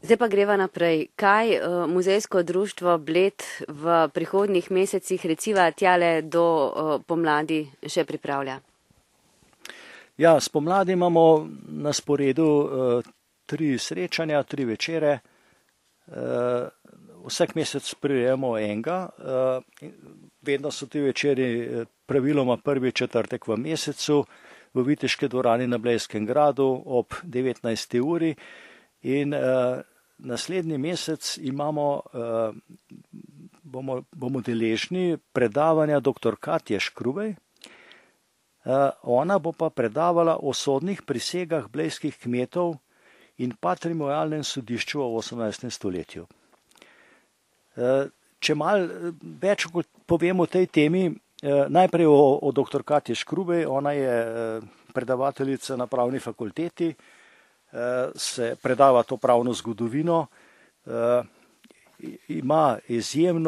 Zdaj pa greva naprej. Kaj muzejsko društvo Bled v prihodnjih mesecih, reciva tjale do pomladi, še pripravlja? Ja, spomladi imamo na sporedu 3 srečanja, 3 večere. Vsak mesec prirejamo enega. Vedno so ti večeri praviloma prvi četrtek v mesecu v Viteški dvorani na Blejskem gradu ob 19. uri. In naslednji mesec bomo deležni predavanja dr. Katje Škrubej. Ona bo pa predavala o sodnih prisegah blejskih kmetov in patrimonialnem sodišču v 18. stoletju. Če malo več povem o tej temi, najprej o dr. Katji Škrubej. Ona je predavateljica na pravni fakulteti, se predava to pravno zgodovino, ima izjemen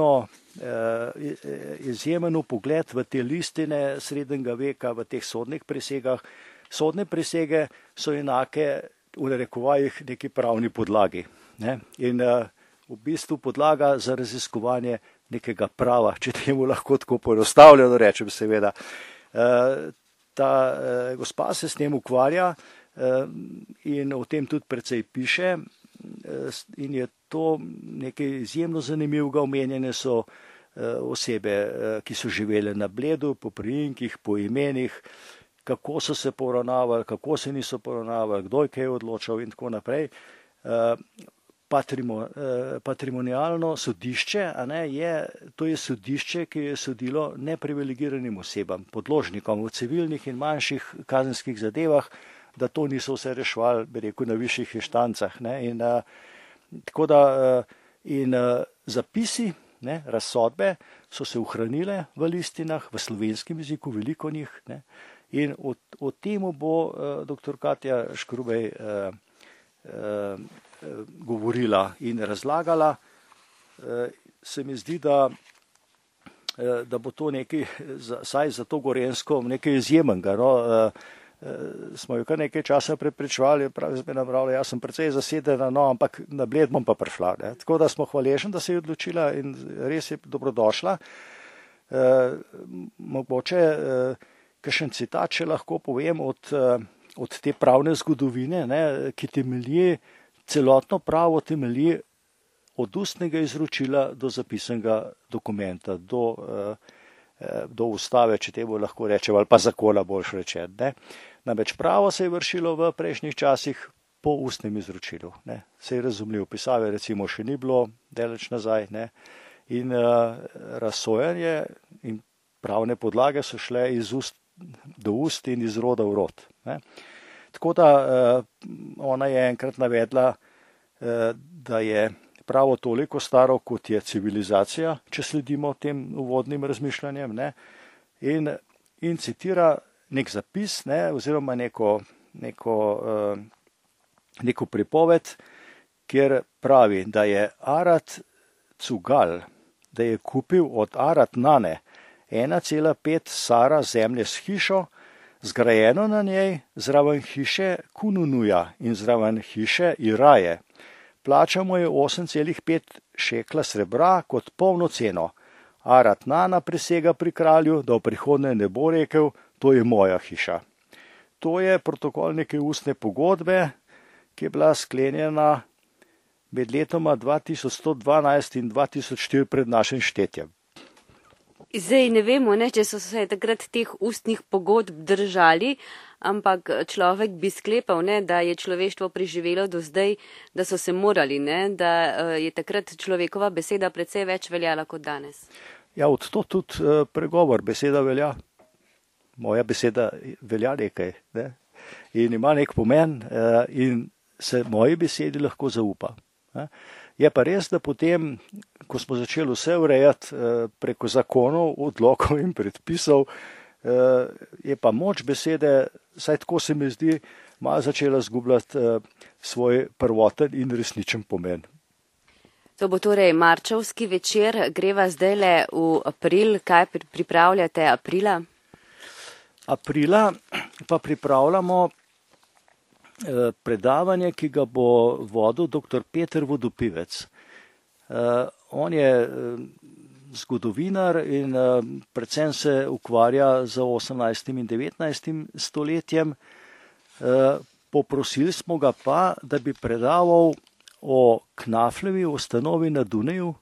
pogled v te listine srednjega veka, v teh sodnih prisegah. Sodne prisege so enake v narekovajih neki pravni podlagi, ne? In v bistvu podlaga za raziskovanje nekega prava, če temu lahko tako poenostavljeno rečem, seveda. Ta gospa se s tem ukvarja in o tem tudi precej piše in je to nekaj izjemno zanimivega. Omenjene so osebe, ki so živele na Bledu, po priimkih, po imenih, kako so se poravnavali, kako se niso poravnavali, kdo je kaj odločal in tako naprej. Patrimonialno sodišče, to je sodišče, ki je sodilo neprivilegiranim osebam, podložnikom v civilnih in manjših kazenskih zadevah, da to niso vse reševali, bi rekel, na višjih inštancah. In zapisi, razsodbe so se ohranile v listinah, v slovenskem jeziku, veliko njih. In o temu bo dr. Katja Škrubej govorila in razlagala. Se mi zdi, da bo to nekaj, saj za to Gorenjsko, nekaj izjemnega. Smo jo kar nekaj časa prepričevali, jaz sem precej zasedena, ampak na Bled bom pa prišla. Tako da smo hvaležni, da se je odločila in res je dobrodošla. Mogoče kakšen citat, če lahko povem, od te pravne zgodovine, ki temelji, celotno pravo temelji od ustnega izročila do zapisanega dokumenta, do ustave, če temu lahko rečem, ali pa zakona boljš rečen. Namreč pravo se je vršilo v prejšnjih časih po ustnem izročilu. Se je razumljiv, pisave recimo še ni bilo daleč nazaj. In razsojanje in pravne podlage so šle iz ust do ust in iz roda v rod. Tako da ona je enkrat navedla, da je pravo toliko staro, kot je civilizacija, če sledimo tem uvodnim razmišljanjem, in citira nek zapis, oziroma neko pripoved, kjer pravi, da je Arat Cugal, da je kupil od Arat Nane 1,5 sara zemlje s hišo, zgrajeno na njej, zraven hiše Kununuja in zraven hiše Iraje. Plačamo je 8,5 šekla srebra kot polno ceno. Arat Nana prisega pri kralju, da v prihodnje ne bo rekel, to je moja hiša. To je protokol neke ustne pogodbe, ki je bila sklenjena med letoma 2112 in 2004 pred našim štetjem. Zdaj ne vemo, če so se takrat teh ustnih pogodb držali, ampak človek bi sklepal, da je človeštvo preživelo do zdaj, da so se morali, da je takrat človekova beseda precej več veljala kot danes. Ja, od to tudi pregovor, beseda velja. Moja beseda velja nekaj, in ima nek pomen in se moji besedi lahko zaupa. Je pa res, da potem, ko smo začeli vse urejati preko zakonov, odlokov in predpisov, je pa moč besede, saj tako se mi zdi, malo začela zgubljati svoj prvoten in resničen pomen. To bo torej marčevski večer, greva zdajle v april. Kaj pripravljate aprila? Aprila pa pripravljamo predavanje, ki ga bo vodil dr. Peter Vodopivec. On je zgodovinar in predvsem se ukvarja z 18. in 19. stoletjem. Poprosili smo ga pa, da bi predaval o Knafljevi ustanovi na Dunaju,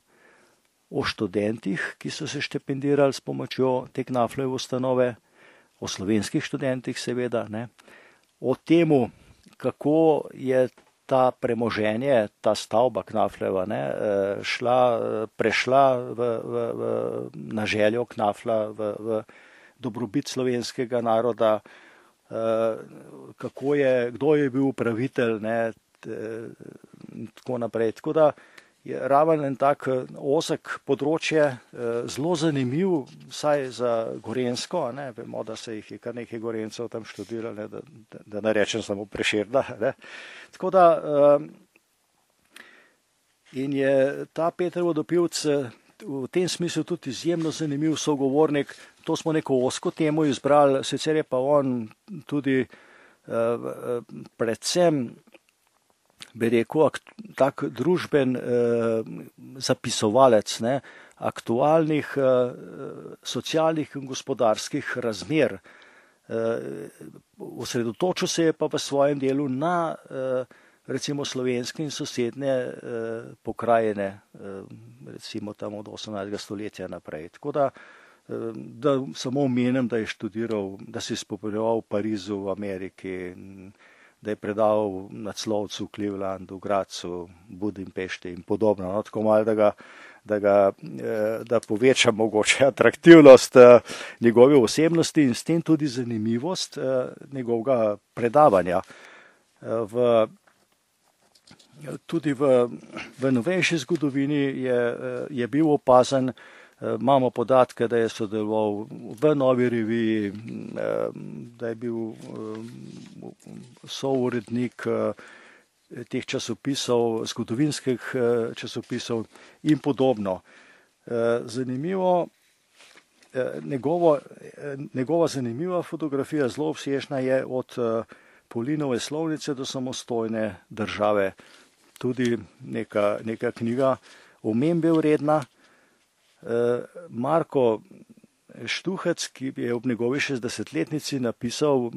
o študentih, ki so se štipendirali s pomočjo te Knafljeve ustanove, o slovenskih študentih seveda, ne, o temu, kako je ta premoženje, ta stavba Knafljeva, ne, prešla na željo Knaflja v dobrobit slovenskega naroda, kdo je bil upravitelj, ne, tako naprej. Tako da je raven en tak ozek področje, zelo zanimiv, vsaj za Gorenjsko, ne, vemo, da se jih je kar nekaj Gorencev tam študirali, da ne rečem samo Prešerna. Ne. Tako da in je ta Peter Vodopivec v tem smislu tudi izjemno zanimiv sogovornik. To smo neko ozko temo izbrali, sicer je pa on tudi predvsem, bi rekel, tak družben zapisovalec, ne, aktualnih socialnih in gospodarskih razmer. Osredotočil se je pa v svojem delu na recimo slovenske in sosednje pokrajine, recimo tam od 18. stoletja naprej. Tako da samo omenim, da je študiral, da se je spopolnjeval v Parizu, v Ameriki, da je predaval na Clovcu, Clevelandu, Gracu, Budimpešti in podobno. No, tako malo, da poveča mogoče atraktivnost njegove osebnosti in s tem tudi zanimivost njegovega predavanja. Tudi v novejši zgodovini je bil opazen. Imamo podatke, da je sodeloval v Novi reviji, da je bil sourednik teh časopisov, zgodovinskih časopisov in podobno. Zanimivo, njegova zanimiva fotografija, zelo obsežna, je od Paulinove slovnice do samostojne države. Tudi neka knjiga omembe vredna. Marko Štuhec, ki je ob njegovi 60-letnici napisal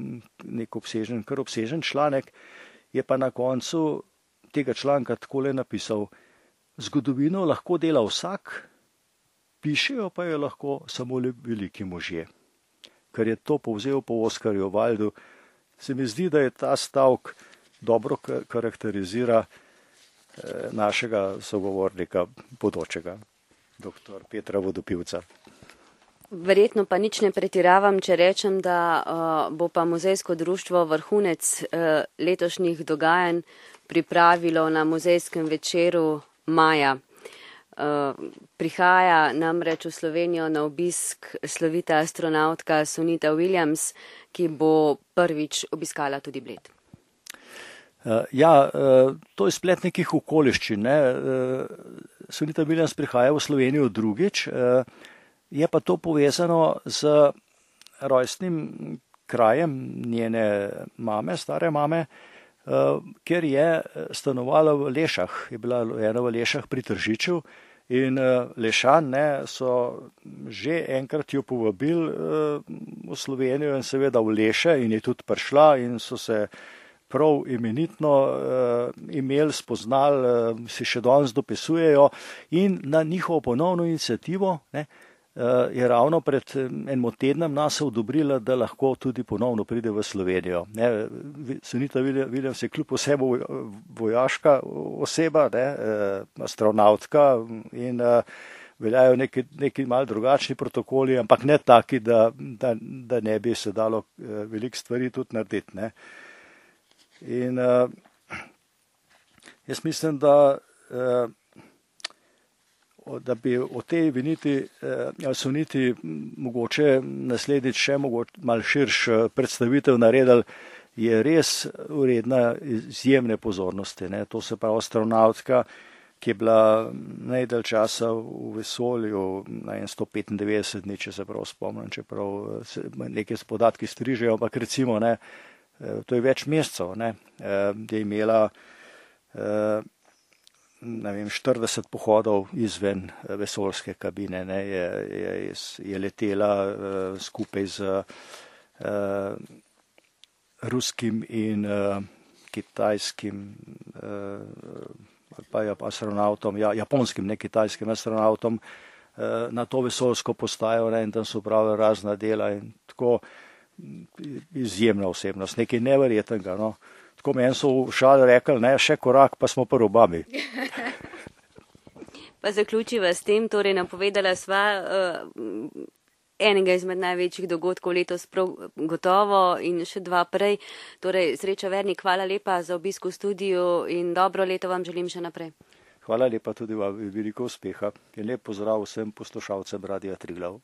nek kar obsežen članek, je pa na koncu tega članka takole napisal: zgodovino lahko dela vsak, pišejo pa jo lahko samo veliki možje. Ker je to povzel po Oskarju Wildu, se mi zdi, da je ta stavek dobro karakterizira našega sogovornika bodočega, dr. Petra Vodopivca. Verjetno pa nič ne pretiravam, če rečem, da bo pa muzejsko društvo vrhunec letošnjih dogajanj pripravilo na muzejskem večeru maja. Prihaja namreč v Slovenijo na obisk slovita astronautka Sunita Williams, ki bo prvič obiskala tudi Bled. Ja, to je splet nekih okoliščin. Sunita Williams prihaja v Slovenijo drugič, je pa to povezano z rojstnim krajem njene mame, stare mame, ker je stanovala v Lešah, je bila ena v Lešah pri Tržiču in Lešan so že enkrat jo povabili v Slovenijo in seveda v Leše in je tudi prišla in so se prav imenitno imeli, spoznali, si še danes dopisujejo in na njihovo ponovno inicijativo je ravno pred enim tednom nas odobrila, da lahko tudi ponovno pride v Slovenijo. Sunita Williams je kljub vsemu vojaška oseba, astronautka in veljajo neki malo drugačni protokoli, ampak ne taki, da ne bi se dalo veliko stvari tudi narediti. Ne. In jaz mislim, da bi o tej Suniti mogoče naslednjič še malo širš predstavitev naredili, je res vredna izjemne pozornosti. Ne. To se pravi astronautka, ki je bila najdalj časa v vesolju, na 195 dni, če se prav spomnim, čeprav neke podatki strižejo, ampak recimo to je več mesecev, ne, je imela 40 pohodov izven vesoljske kabine, ne, je letela skupaj z ruskim in kitajskim pa astronautom, japonskim, ne kitajskim astronautom na to vesoljsko postajo, ne, in tam so pravili razna dela in tako izjemna osebnost, nekaj neverjetnega, no. Tako meni so v šali rekli, ne, še korak, pa smo pri Obami. Pa zaključiva s tem, torej napovedala sva enega izmed največjih dogodkov letos prav gotovo in še dva prej. Torej, Sreča Vernik, hvala lepa za obisk v studiu in dobro leto vam želim še naprej. Hvala lepa tudi vam, veliko uspeha in lep pozdrav vsem poslušalcem Radia Triglav.